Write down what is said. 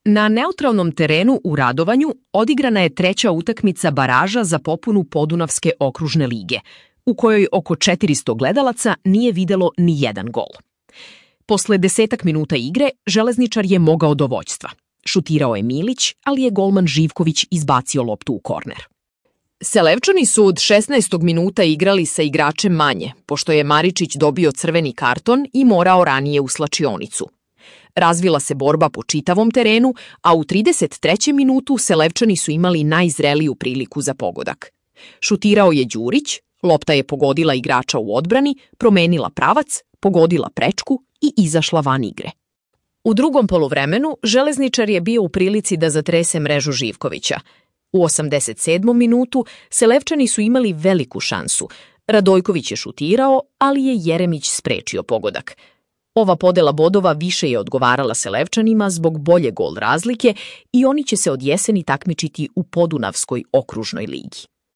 Na neutralnom terenu u Radovanju odigrana je treća utakmica baraža za popunu Podunavske okružne lige, u kojoj oko 400 gledalaca nije videlo ni jedan gol. Posle 10 minuta igre Železničar je mogao do vođstva. Šutirao je Milić, ali je golman Živković izbacio loptu u korner. Selevčani su od 16. minuta igrali sa igračem manje, pošto je Maričić dobio crveni karton i morao ranije u slačionicu. Razvila se borba po čitavom terenu, a u 33. minutu Selevčani su imali najzreliju priliku za pogodak. Šutirao je Đurić, lopta je pogodila igrača u odbrani, promenila pravac, pogodila prečku i izašla van igre. U drugom poluvremenu Železničar je bio u prilici da zatrese mrežu Živkovića. U 87. minutu Selevčani su imali veliku šansu. Radojković je šutirao, ali je Jeremić sprečio pogodak. Ova podela bodova više je odgovarala Selevčanima zbog bolje gol razlike i oni će se od jeseni takmičiti u Podunavskoj okružnoj ligi.